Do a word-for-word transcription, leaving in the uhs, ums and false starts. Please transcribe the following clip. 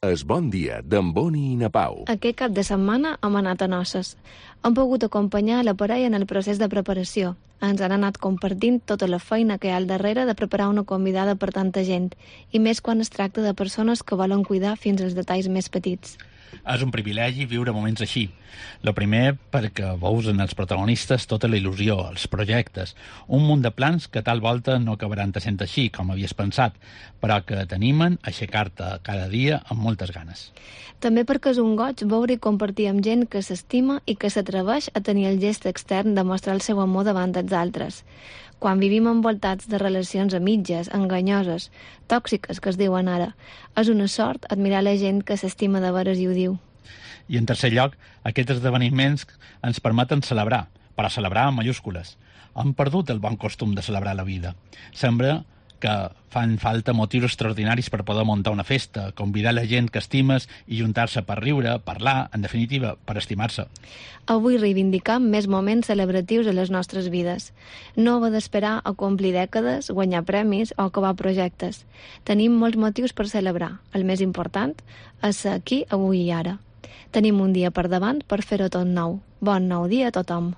Es Bon Dia, d'en Boni i na Pau. Aquest cap de setmana hem anat a noces. Hem pogut acompanyar la parella en el procés de preparació. Ens han anat compartint tota la feina que hi ha al darrere de preparar una convidada per tanta gent, i més quan es tracta de persones que volen cuidar fins als detalls més petits. És un privilegi viure moments així. Lo primer, perquè veus en els protagonistes tota la il·lusió, els projectes, un munt de plans que tal volta no acabaran de sent així, com havies pensat, però que t'animen a aixecar-te cada dia amb moltes ganes. També perquè és un goig veure i compartir amb gent que s'estima i que s'atreveix a tenir el gest extern de mostrar el seu amor davant dels altres. Quan vivim envoltats de relacions a mitges, enganyoses, tòxiques, que es diuen ara, és una sort admirar la gent que s'estima de veres i ho diu. I en tercer lloc, aquests esdeveniments ens permeten celebrar, però celebrar amb mayúscules. Hem perdut el bon costum de celebrar la vida. Sembla que fan falta motius extraordinaris per poder muntar una festa, convidar la gent que estimes i juntar-se per riure, parlar, en definitiva, per estimar-se. Avui reivindicam més moments celebratius a les nostres vides. No haver d'esperar a complir dècades, guanyar premis o acabar projectes. Tenim molts motius per celebrar. El més important és ser aquí, avui i ara. Tenim un dia per davant per fer-ho tot nou. Bon nou dia a tothom.